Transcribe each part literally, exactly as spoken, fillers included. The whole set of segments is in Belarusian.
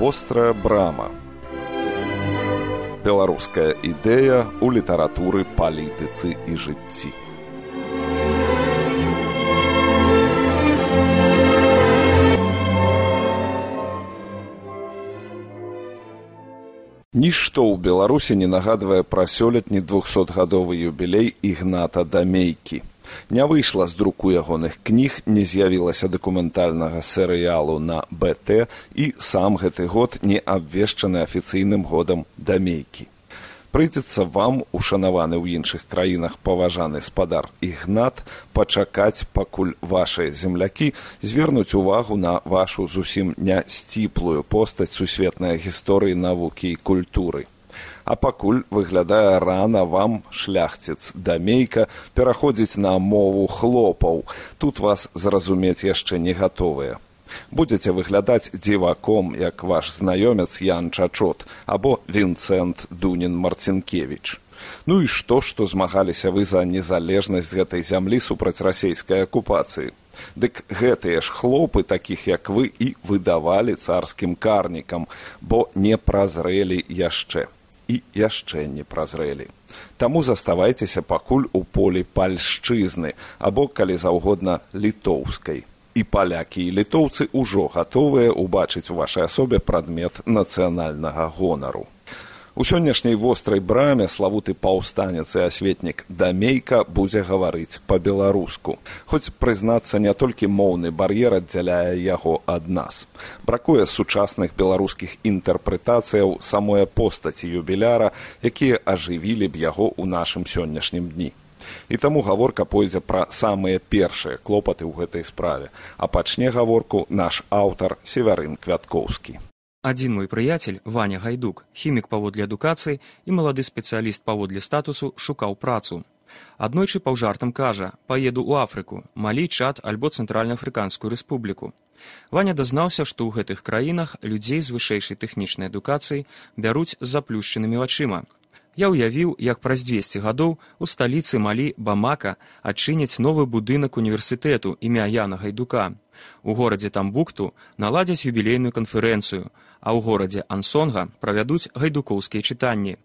Вострая брама. Беларуская ідэя ў літаратуры, палітыцы і жыцці. Нішто ў Беларусі не нагадвае пра сёлетні двухсотгадовы юбілей Ігната Дамейкі. Не выйшла з друку ягоных кніг, не з'явілася дакументальнага серыялу на бэ тэ, і сам гэты год не абвешчаны афіцыйным годам Дамейкі. Прыйдзецца вам, ушанаваны ў іншых краінах паважаны спадар Ігнат, пачакаць, пакуль вашыя землякі звернуць увагу на вашу зусім не сціплую постаць сусветнай гісторыі, навукі і культуры. А пакуль выглядае рана вам, шляхціц Дамейка, пераходзіць на мову хлопаў. Тут вас зразумець яшчэ не гатовыя. Будзеце выглядаць дзіваком, як ваш знаёмец Ян Чачот або Вінцэнт Дунін-Марцінкевіч. Ну і што, што змагаліся вы за незалежнасць гэтай зямлі супраць расейскай акупацыі? Дык гэтыя ж хлопы, такіх як вы, і выдавалі царскім карнікам, бо не празрэлі яшчэ. І яшчэ не празрэлі. Таму заставайцеся пакуль у полі пальшчызны, або, калі заўгодна, літоўскай. І палякі і літоўцы ўжо гатовыя ўбачыць у вашай асобе прадмет нацыянальнага гонару. У сённяшняй вострай браме славуты паўстанец і асветнік Дамейка будзе гаварыць па-беларуску. Хоць, прызнацца, не толькі моўны бар'ер аддзяляе яго ад нас. Бракуе сучасных беларускіх інтэрпрэтацыяў самой постаці юбіляра, якія ажывілі б яго ў нашым сённяшнім дні. І таму гаворка пойдзе пра самыя першыя клопаты ў гэтай справе, а пачне гаворку наш аўтар Севярын Квяткоўскі. Адзін мой прыяцель, Ваня Гайдук, хімік паводле адукацыі і малады спецыяліст паводле статусу, шукаў працу. Аднойчы паўжартам кажа: «Паеду ў Афрыку, Малі, Чад альбо Цэнтральна-Афрыканскую рэспубліку». Ваня дазнаўся, што ў гэтых краінах людзей з вышэйшай тэхнічнай адукацыяй бяруць з заплюшчанымі вачыма. Я ўявіў, як праз дзвесце гадоў у сталіцы Малі, Бамака, адчыняць новы будынак універсітэту імя Яна Гайдука. У горадзе Тамбукту наладзяць юбілейную канферэнцыю, а ў горадзе Ансонга правядуць гайдукоўскія чытанні.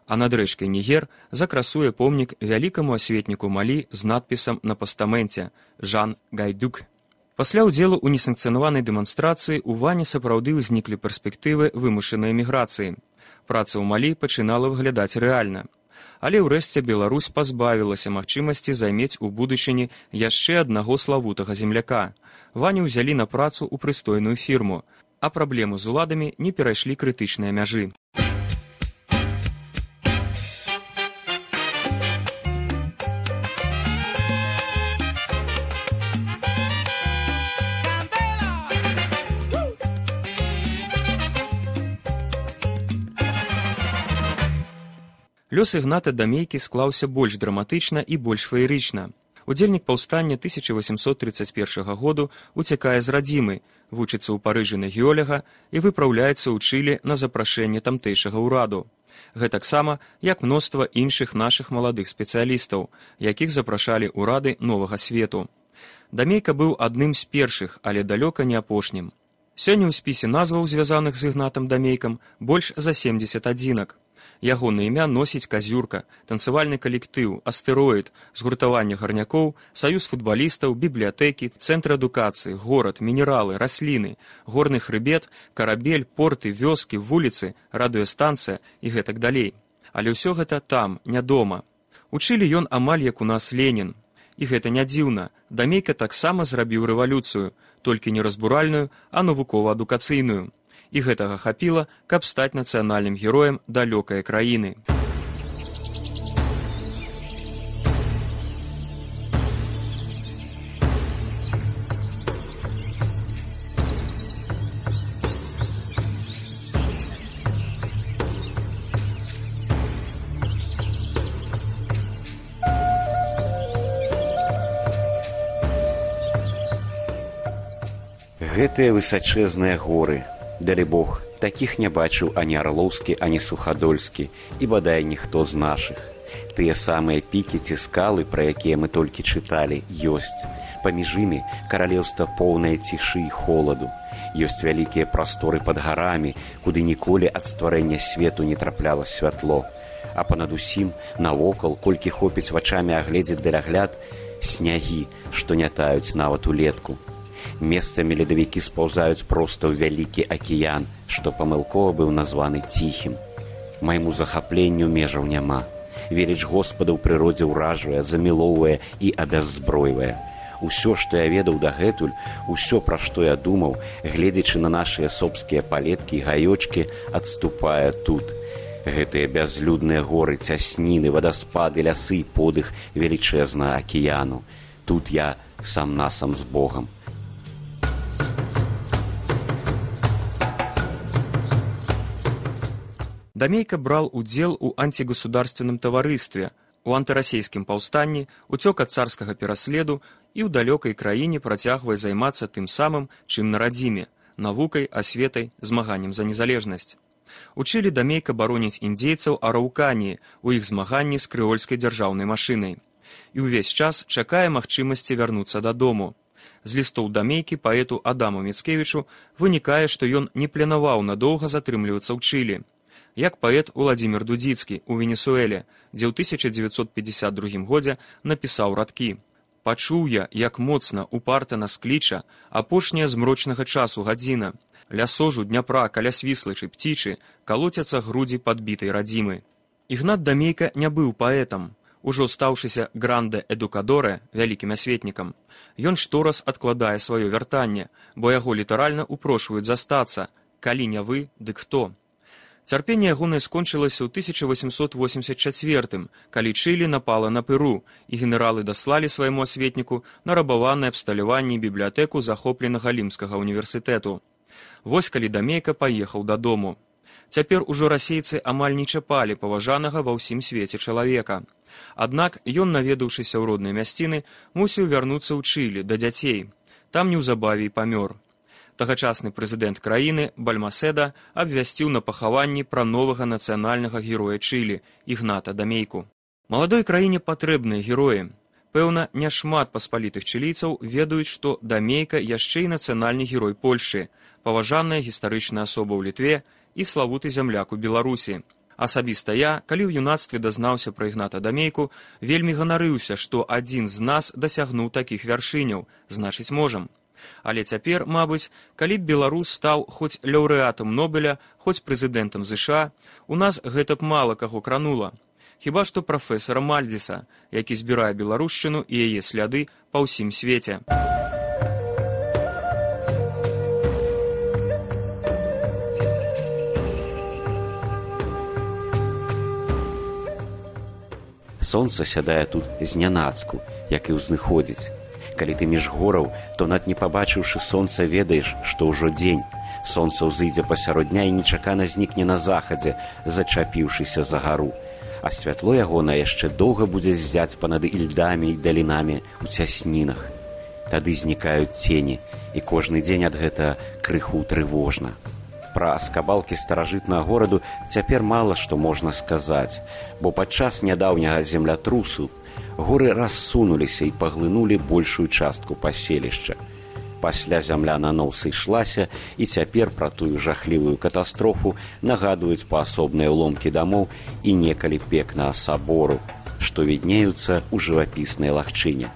А над рэчкай Нігер закрасуе помнік вялікаму асветніку Малі з надпісам на пастаменце «Жан Гайдук». Пасля ўдзелу ў несанкцыянаванай дэманстрацыі у Вані сапраўды ўзніклі перспектывы вымушанай эміграцыі. Праца ў Малі пачынала выглядаць рэальна. Але ўрэшце Беларусь пазбавілася магчымасці займець у будучыні яшчэ аднаго славутага земляка. Ваню ўзялі на працу ў прыстойную фірму, а праблемы з уладамі не перайшлі крытычныя мяжы. Лёс Ігната Дамейкі склаўся больш драматычна і больш феерычна. Удзельнік паўстання тысяча васемсот трыццаць першага году уцякае з радзімы, вучыцца ў Парыжы на геолага і выпраўляецца ў Чылі на запрашэнне тамтэйшага ўраду. Гэтаксама, як мноства іншых нашых маладых спецыялістаў, якіх запрашалі ўрады новага свету. Дамейка быў адным з першых, але далёка не апошнім. Сёння ў спісе назваў, звязаных з Ігнатам Дамейкам, больш за семдзесят адзінак. Ягонае імя носіць казюрка, танцавальны калектыў, астэроід, згуртаванне гарнякоў, саюз футбалістаў, бібліятэкі, цэнтр адукацыі, горад, мінералы, расліны, горны хрыбет, карабель, порты, вёскі, вуліцы, радыёстанцыя і гэтак далей. Але ўсё гэта там, не дома. У Чылі ён амаль як у нас Ленін. І гэта не дзіўна. Дамейка таксама зрабіў рэвалюцыю, толькі не разбуральную, а навукова-адукацыйную. І гэтага хапіла, каб стаць нацыянальным героем далёкай краіны. Гэтыя высачэзныя горы, далі Бог, такіх не бачыў ані Арлоўскі, ані Сухадольскі, і бадай ніхто з нашых. Тыя самыя пікі ці скалы, пра якія мы толькі чыталі, ёсць. Паміж імі каралеўства поўнае цішы і холаду. Ёсць вялікія прасторы пад гарамі, куды ніколі ад стварэння свету не трапляла святло. А панад усім, навокал, колькі хопіць вачамі агледзець далягляд, снягі, што не таюць нават улетку. Месцамі ледавікі спаўзаюць проста ў вялікі акіян, што памылкова быў названы ціхім. Майму захапленню межаў няма. Веліч Господа ў прыродзе ўражвае, замілоўвае і абяззбройвае. Усё, што я ведаў дагэтуль, усё, пра што я думаў, гледзячы на нашыя собскія палеткі і гаёчкі, адступае тут. Гэтыя бязлюдныя горы, цясніны, вадаспады, лясы, подых велічэзнага акіяну. Тут я сам-насам з Богам. Дамейка брал удзел у антигосударственном таварыстве, у антырасейскім паўстанні, уцёк ад царскага пераследу і ў далёкай краіне працягвае займацца тым самым, чым на радзіме, навукай, асветай, змаганнем за незалежнасць. Учылі Дамейка бароніць індзейцаў араўканіі у іх змаганні з крэольскай дзяржаўнай машынай. І ўвесь час чакае магчымасці вярнуцца дадому. З лістоў Дамейкі паэту Адаму Міцкевічу вынікае, што ён не планаваў надоўга затрымлівацца ў Чылі. Як паэт Уладзімір Дудзіцкі ў Венесуэле, дзе ў тысяча дзевяцьсот пятьдесят другім годзе напісаў радкі: «Пачуў я, як моцна упарта нас кліча апошняя змрочнага часу гадзіна. Ля сожу Дняпра, каля Свіслачы, Пцічы, калоцяцца грудзі падбітай радзімы». Ігнат Дамейка не быў паэтам. Ужо стаўшыся гранде эдукадоре, вялікім асветнікам, ён штораз адкладае сваё вяртанне, бо яго літаральна упрошваюць застацца. Калі не вы, дык хто? Цярпенне ягонае скончылася ў тысяча восемьсот восемьдесят четвёртым, калі Чылі напала на Перу, і генералы даслалі свайму асветніку нарабаванае абсталяванне бібліятэку захопленага Лімскага універсітэту. Вось калі Дамейка паехаў дадому. Цяпер ужо расейцы амаль не чапалі паважанага ва ўсім свеце чалавека. Аднак ён, наведаўшыся ў роднай мясціны, мусіў вярнуцца ў Чылі да дзяцей. Там неўзабаве і памёр. Тагачасны прэзідэнт краіны Бальмаседа абвясціў на пахаванні пра новага нацыянальнага героя Чылі Ігната Дамейку. Маладой краіне патрэбныя героі. Пэўна, няшмат паспалітых чылійцаў ведаюць, што Дамейка яшчэ і нацыянальны герой Польшы, паважаная гістарычная асоба ў Літве і славуты зямляк у Беларусі. Асабіста я, калі ў юнацтве дазнаўся пра Ігната Дамейку, вельмі ганарыўся, што адзін з нас дасягнуў такіх вяршыняў, значыць можам. Але цяпер, мабыць, калі б беларус стаў хоць лаўрэатам Нобеля, хоць прэзідэнтам ЗША, у нас гэта б мала каго кранула. Хіба што прафесара Мальдзіса, які збірае беларушчыну і яе сляды па ўсім свеце. Сонца сядае тут знянацку, як і ўзныходзіць. Калі ты між гораў, то над не пабачыўшы сонца ведаеш, што ўжо дзень. Сонца ўзыдзе пасярод дня і нечакана знікне на захадзе, зачапіўшыся за гару. А святло ягонае яшчэ доўга будзе ззяць панад ільдамі і далінамі ў цяснінах. Тады знікаюць цені, і кожны дзень ад гэта крыху трывожна. Пра скабалкі старажытнага гораду цяпер мала што можна сказаць, бо падчас нядаўняга землятрусу горы рассунуліся і паглынулі большую частку паселішча. Пасля зямля наноў сышлася, і цяпер пра тую жахлівую катастрофу нагадваюць паасобныя ўломкі дамоў і некалі пекнага сабору, што віднеюцца ў жывапіснай лагчыне.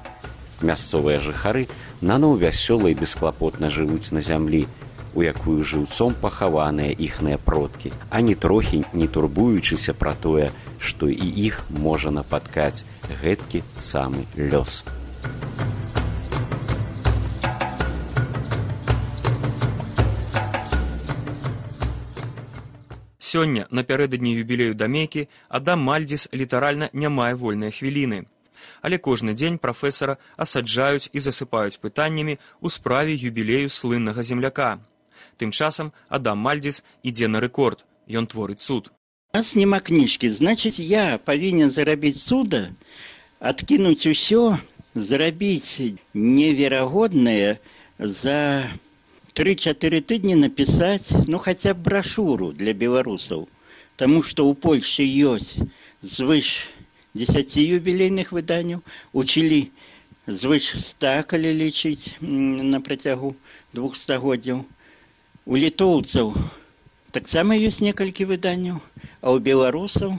Мясцовыя жыхары наноў вясёла і бесклапотна жывуць на зямлі, у якую жыўцом пахаваныя іхныя продкі, а ні трохі не турбуючыся пра тое, што і іх можа напаткаць гэткі самы лёс. Сёння, напярэдадні юбілею Дамейкі, Адам Мальдзіс літаральна не мае вольнай хвіліны. Але кожны дзень прафесара асаджаюць і засыпаюць пытаннямі ў справе юбілею слыннага земляка. Тым часам Адам Мальдзіс ідзе на рэкорд, ён творыць цуд. У нас няма кніжкі, значыць, я павінен зарабіць цуда, адкінуць усё, зарабіць неверагоднае, за тры-чатыры тыдні напісаць, ну, хаця б брашуру для беларусаў. Таму што ў Польшчы ёсць звыш дзесяці юбілейных выданняў, учылі звыш ста, калі лічыць на працягу двух стагоддзяў. У літоўцаў таксама ёсць некалькі выданняў, а ў беларусаў,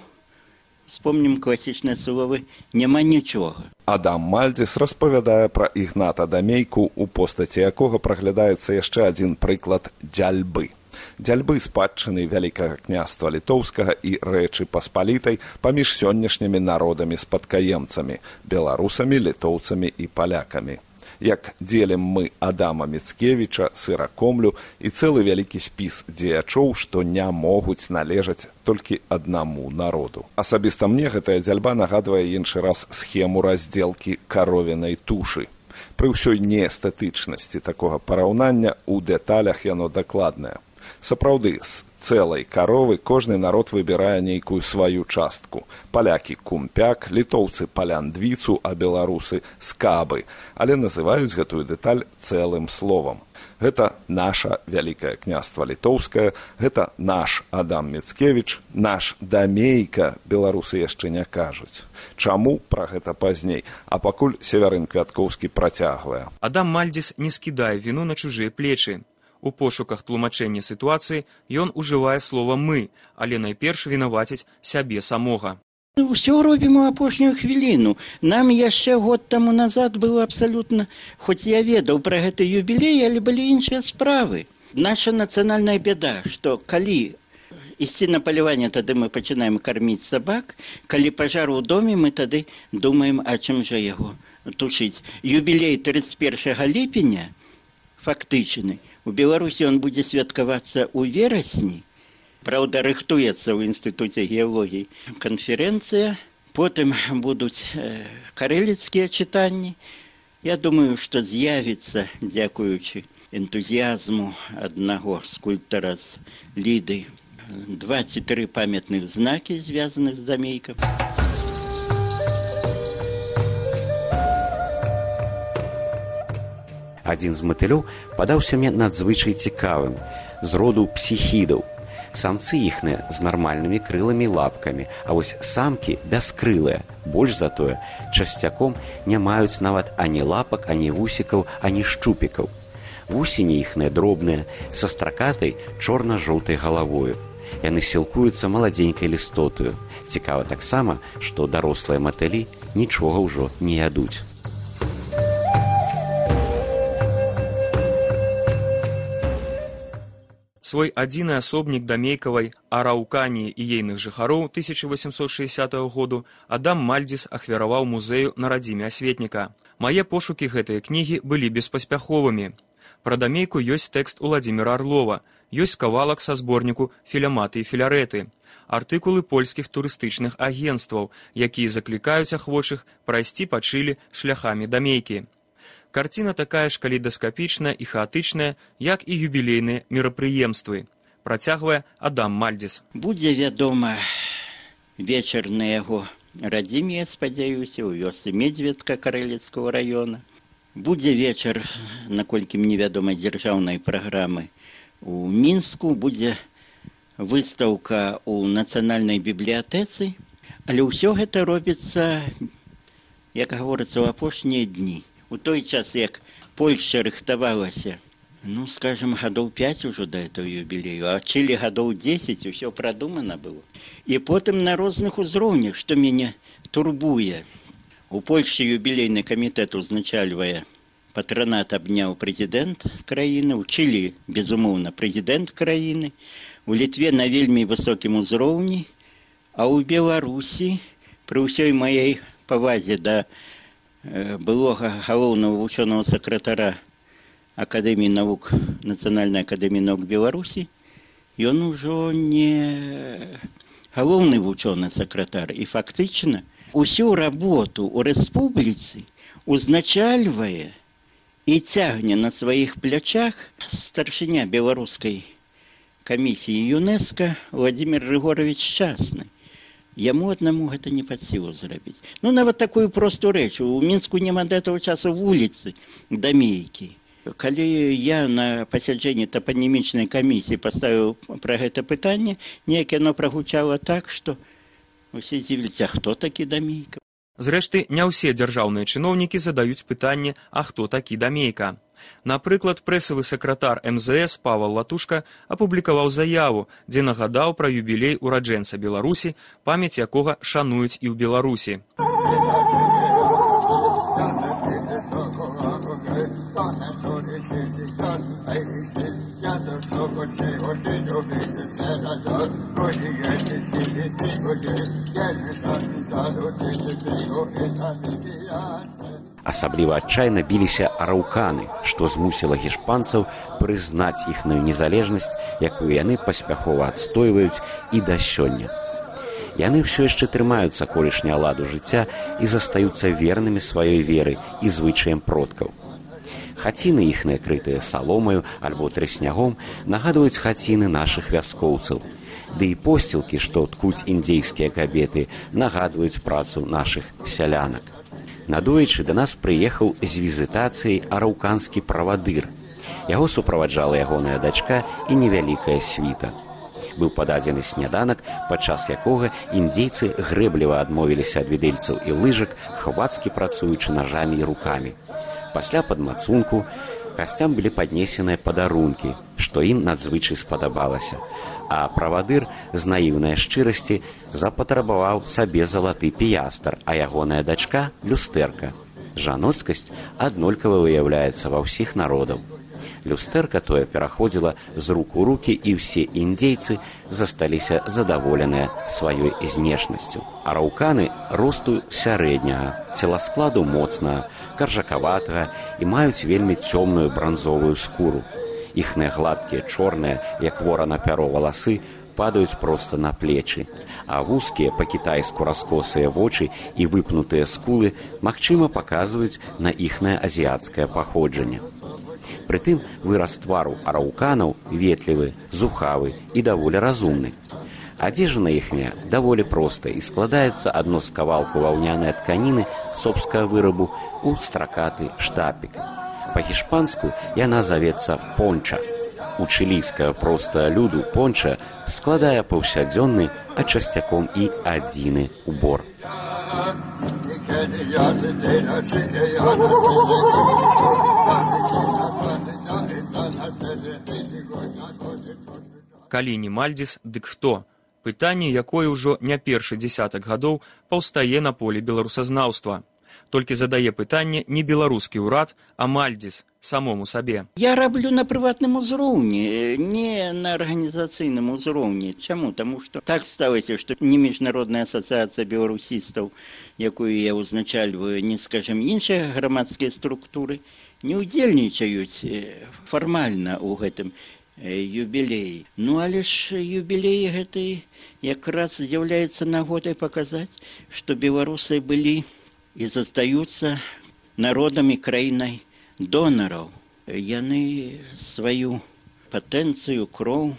вспомнім класічныя словы, няма нічога. Адам Мальдзіс распавядае пра Ігната Дамейку, у постаці якога праглядаецца яшчэ адзін прыклад дзяльбы. Дзяльбы спадчыны Вялікага княства літоўскага і Рэчы Паспалітай паміж сённяшнімі народамі-спадкаемцамі, беларусамі, літоўцамі і палякамі. Як дзелім мы Адама Міцкевіча, Сыракомлю і цэлы вялікі спіс дзеячоў, што не могуць належаць толькі аднаму народу. Асабіста мне гэтая дзяльба нагадвае іншы раз схему раздзелкі каровінай тушы. Пры ўсёй неэстэтычнасці такога параўнання ў дэталях яно дакладнае. Сапраўды, з цэлай каровы кожны народ выбірае нейкую сваю частку. Палякі кумпяк, літоўцы паляндвіцу, а беларусы скабы, але называюць гэтую дэталь цэлым словам. Гэта наша Вялікае княства літоўскае, гэта наш Адам Міцкевіч, наш Дамейка, беларусы яшчэ не кажуць. Чаму, пра гэта пазней, а пакуль Севярын Квяткоўскі працягвае. Адам Мальдзіс не скідае віну на чужыя плечы. У пошуках тлумачэння сітуацыі ён ужывае слова «мы», але найперш вінаваціць сябе самога. Усё робім у апошнюю хвіліну. Нам яшчэ год таму назад было абсалютна, хоць я ведаў пра гэты юбілей, але былі іншыя справы. Наша нацыянальная бяда, што калі ісці на паляванне, тады мы пачынаем карміць сабак, калі пажар у доме, мы тады думаем, а чым жа яго тушыць. Юбілей трыццаць першага ліпеня фактычны. У Беларусі ён будзе святкавацца ў верасні. Праўда, рыхтуецца ў Інстытуце геалогіі канферэнцыя. Потым будуць э, карэліцкія чытанні. Я думаю, што з'явіцца, дзякуючы энтузіязму аднаго скульптара з Ліды, два ці тры памятных знакі, звязаных з Дамейкам. Адзін з матылёў падаўся мне надзвычай цікавым, з роду псіхідаў. Самцы іхныя з нармальнымі крыламі і лапкамі, а вось самкі бяскрылыя. Больш за тое, часцяком не маюць нават ані лапак, ані вусікаў, ані шчупікаў. Вусені іхныя дробныя, са стракатай чорна-жоўтай галавою. Яны сілкуюцца маладзенькай лістотаю. Цікава таксама, што дарослыя матылі нічога ўжо не ядуць. Свой адзіны асобнік дамейкавай Араўканіі і ейных жыхароў тысяча восемсот шэсцятага году Адам Мальдзіс ахвяраваў музею на радзіме асветніка. Мае пошукі гэтыя кнігі былі беспаспяховымі. Пра дамейку ёсць тэкст Уладзіміра Арлова, ёсць кавалак са зборніку «Філяматы і філярэты», артыкулы польскіх турыстычных агенцтваў, якія заклікаюць ахвочых прайсці па Чылі шляхамі дамейкі. Карціна такая ж калейдаскапічная і хаатычная, як і юбілейныя мерапрыемствы, працягвае Адам Мальдзіс. Будзе вядома вечар на яго радзіме, я спадзяюся, у вёсцы Медзведка Карэліцкага раёна. Будзе вечар, наколькі мне вядома, дзяржаўнай праграмы у Мінску, будзе выстаўка ў нацыянальнай бібліятэцы, але ўсё гэта робіцца, як гаворыцца, ў апошнія дні. У той час, як Польшча рыхтавалася, ну, скажем, гадоў пяць ужо да этого юбілею, а Чылі гадоў дзесяць, усё прадумана было. І потым на розных узроўнях, што мяне турбуе. У Польшчы юбілейны камітэт узначальвае патранат абняў прэзідэнт краіны, у Чылі, безумоўна, прэзідэнт краіны, у Літве на вельмі высокім узроўні, а ў Беларусі, пры ўсёй маёй павазе да былога галоўнага вучонага сакратара Акадэміі навук, Нацыянальнай акадэміі навук Беларусі, ён ужо не галоўны вучоны сакратар. І фактычна усю работу ў рэспубліцы узначальвае і цягне на сваіх плячах старшыня беларускай камісіі ЮНЕСКО Владимир Григорович Шчасны. Яму аднаму гэта не пад сілу зрабіць. Ну, нават такую простую рэч. У Мінску няма да таго часу вуліцы дамейкі. Калі я на пасяджэнні тапанімічнай камісіі паставіў пра гэта пытанне, неяк яно прагучала так, што Усе дзівяцца, а хто такі Дамейка? Зрэшты, не ўсе дзяржаўныя чыноўнікі задаюць пытанне, а хто такі Дамейка. Напрыклад, прэсавы сакратар эм зэ эс Павал Латушка апублікаваў заяву, дзе нагадаў пра юбілей ураджэнца Беларусі, памяць якога шануюць і ў Беларусі. Асабліва адчайна біліся араўканы, што змусіла гішпанцаў прызнаць іхную незалежнасць, якую яны паспяхова адстойваюць і да сёння. Яны ўсё яшчэ трымаюцца колішняга ладу жыцця і застаюцца вернымі сваёй веры і звычаям продкаў. Хаціны іхныя, крытыя саломаю альбо трыснягом, нагадваюць хаціны нашых вяскоўцаў. Ды і посцілкі, што ткуць індзейскія кабеты, нагадваюць працу нашых сялянак. Надоечы да нас прыехаў з візітацыяй араўканскі правадыр. Яго суправаджала ягоная дачка і невялікая світа. Быў пададзены сняданак, падчас якога індзейцы грэбліва адмовіліся ад відэльцаў і лыжак, хвацкі працуючы нажамі і рукамі. Пасля падмацунку гасцям былі паднесеныя падарункі, што ім надзвычай спадабалася. А правадыр з наіўнай шчырасці запатрабаваў сабе залаты піястр, а ягоная дачка – люстэрка. Жаноцкасць аднолькава выяўляецца ва ўсіх народаў. Люстэрка тое пераходзіла з рук у рукі, і ўсе індзейцы засталіся задаволеныя сваёй знешнасцю. Араўканы росту сярэдняга, целаскладу моцнага, каржакаватага і маюць вельмі цёмную бранзовую скуру. Іхныя гладкія, чорныя, як ворана пяро валасы, падаюць проста на плечы, а вузкія па-кітайску раскосыя вочы і выпнутыя скулы магчыма паказваюць на іхнае азіяцкае паходжанне. Прытым выраз твару араўканаў ветлівы, зухавы і даволі разумны. Адзежына іхняя даволі проста і складаецца адно з кавалку ваўнянай тканіны собскага вырабу ў стракаты штапік. Па-гішпанску яна завецца понча. У чылійскага простага люду понча складае паўсядзённы, а часцяком і адзіны убор. Калі не Мальдзіс, дык хто? Пытанне, якое ўжо не першы дзесятак гадоў паўстае на полі беларусазнаўства. Толькі задае пытанне не беларускі ўрад, а Мальдзіс самому сабе. Я раблю на прыватным узроўні, не на арганізацыйным узроўні. Чаму? Таму што так сталася, што не міжнародная асацыяцыя беларусістаў, якую я ўзначальваю, не, скажем, іншыя грамадскія структуры, не ўдзельнічаюць фармальна ў гэтым юбілеі. Ну, але ж юбілей гэты якраз з'яўляецца нагодай паказаць, што беларусы былі і застаюцца народам і краінай донараў. Яны сваю патэнцыю, кроў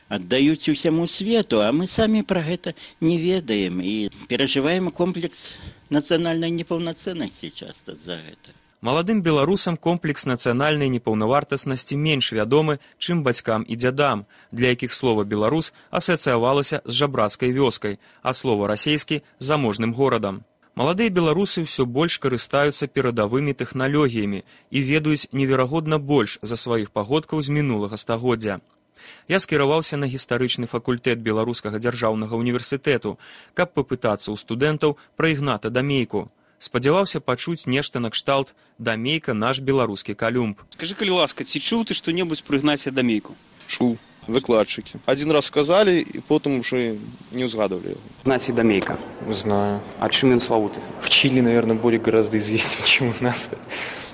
аддаюць усяму свету, а мы самі пра гэта не ведаем і перажываем комплекс нацыянальнай непаўнацэннасці часта за гэта. Маладым беларусам комплекс нацыянальнай непаўнавартаснасці менш вядомы, чым бацькам і дзядам, для якіх слова «беларус» асацыявалася з жабрацкай вёскай, а слова «расейскі» – заможным горадам. Маладыя беларусы ўсё больш карыстаюцца перадавымі тэхналогіямі і ведаюць неверагодна больш за сваіх пагодкаў з мінулага стагоддзя. Я скіраваўся на гістарычны факультэт Беларускага дзяржаўнага універсітэту, каб папытацца ў студэнтаў пра Ігната Дамейку. Спадзяваўся пачуць нешта накшталт «Дамейка наш беларускі Калюмб». Скажи, калі ласка, ці чуў ты што-небудзь пра Ігнація Дамейку? Чуў. Выкладчики. Один раз сказали, и потом уже не узгадывали его. Игнатий Дамейка. Знаю. А чем он славутый? В Чили, наверное, более гораздо известен, чем у нас.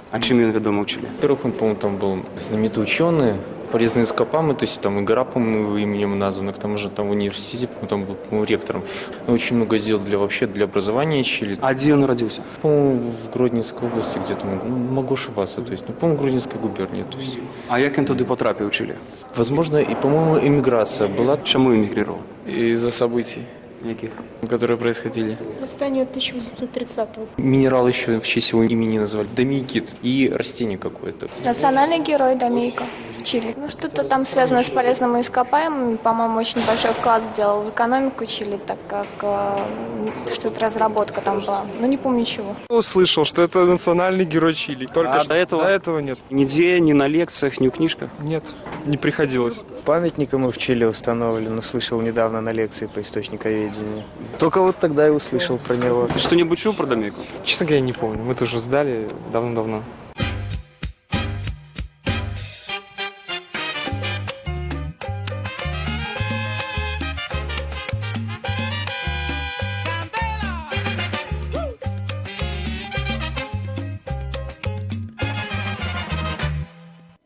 А чем он ведомо в Чили? Во-первых, он, по-моему, там был знаменитый ученый, полезные ископаемые, то есть там и гора, по-моему, его именем названа, к тому же там в университете, по-моему, там был, по-моему, ректором. Он очень много сделал для, вообще для образования Чили. А где он родился? По-моему, в Гродненской области где-то, ну, могу ошибаться, то есть, ну, по-моему, в Гродненской губернии, то есть. А як он туди потрапив в Чили? Возможно, и, по-моему, эмиграция была. Чему эмигрировал? Из-за событий. Яких? Которые происходили. Восстание тысяча восемьсот тридцатого. Минерал еще в честь его имени назвали Дамейкит и растение какое-то. Национальный герой Дамейка. В Чили. Ну, что-то там связано с полезными ископаемыми. По-моему, очень большой вклад сделал в экономику Чили, так как э, что-то разработка там была. Но не помню чего. Услышал, что это национальный герой Чили. Только А что до этого? До этого нет. Нигде, ни на лекциях, ни в книжках? Нет, не приходилось. Памятник ему в Чили установлен, услышал недавно на лекции по источниковедению. Только вот тогда и услышал про него. Ты что-нибудь чул про Домейку? Честно говоря, не помню. Мы тоже сдали давно-давно.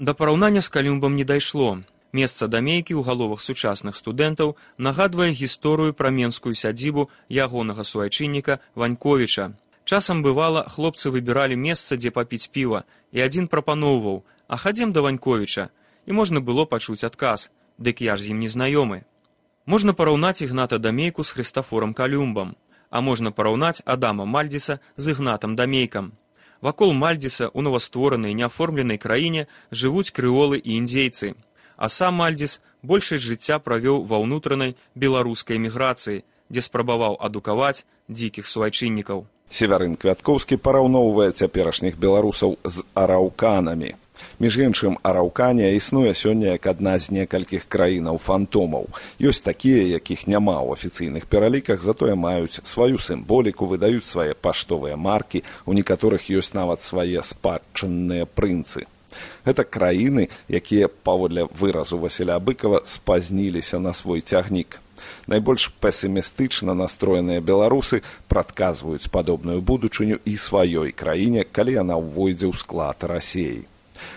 Да параўнання з Калюмбам не дайшло. Месца Дамейкі ў галовах сучасных студэнтаў нагадвае гісторыю пра менскую сядзібу ягонага суайчынніка Ваньковіча. Часам бывала, хлопцы выбіралі месца, дзе папіць піва, і адзін прапаноўваў: «А хадзем да Ваньковіча», і можна было пачуць адказ: «Дык я ж з ім не знаёмы». Можна параўнаць Ігната Дамейку з Хрыстафорам Калюмбам, а можна параўнаць Адама Мальдзіса з Ігнатам Дамейкам. Вакол Мальдзіса ў новастворанай неаформленай краіне жывуць крэолы і індзейцы, а сам Мальдзіс большасць жыцця правёў ва ўнутранай беларускай эміграцыі, дзе спрабаваў адукаваць дзікіх суайчыннікаў. Севярын Квяткоўскі параўноўвае цяперашніх беларусаў з араўканамі. Між іншым, араўканія існуе сёння як адна з некалькіх краінаў-фантомаў. Ёсць такія, якіх няма ў афіцыйных пераліках, затое маюць сваю сімволіку, выдаюць свае паштовыя маркі, у некаторых ёсць нават свае спадчынныя прынцы. Гэта краіны, якія, паводле выразу Васіля Быкова, спазніліся на свой цягнік. Найбольш песімістычна настроеныя беларусы прадказваюць падобную будучыню і сваёй краіне, калі яна ўвойдзе ў склад Расіі.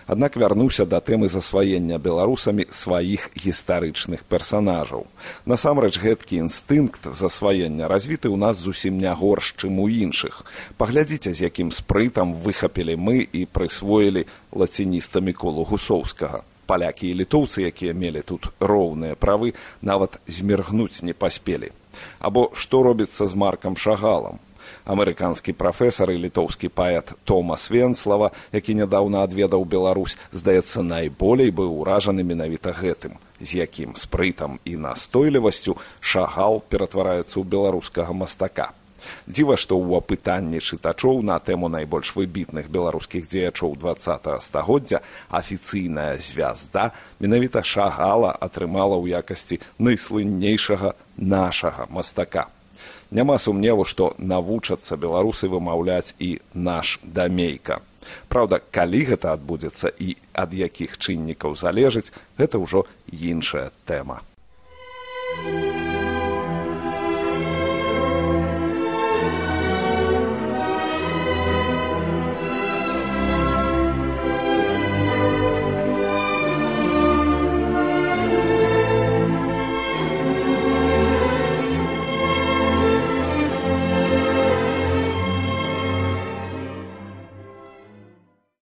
Аднак вярнуўся да тэмы засваення беларусамі сваіх гістарычных персанажаў. Насамрэч, гэткі інстынкт засваення развіты ў нас зусім не горш, чым у іншых. Паглядзіце, з якім спрытам выхапілі мы і прысвоілі лацініста Міколу Гусоўскага. Палякі і літоўцы, якія мелі тут роўныя правы, нават зміргнуць не паспелі. Або што робіцца з Маркам Шагалам? Амерыканскі прафесар і літоўскі паэт Томас Венслава, які нядаўна адведаў Беларусь, здаецца, найболей быў уражаны менавіта гэтым, з якім спрытам і настойлівасцю Шагал ператвараецца ў беларускага мастака. Дзіва, што ў апытанні чытачоў на тэму найбольш выбітных беларускіх дзеячоў дваццатага стагоддзя афіцыйная звязда менавіта Шагала атрымала ў якасці найслыннейшага нашага мастака. Няма сумневу, што навучацца беларусы вымаўляць і наш Дамейка. Праўда, калі гэта адбудзецца і ад якіх чыннікаў залежыць, гэта ўжо іншая тэма.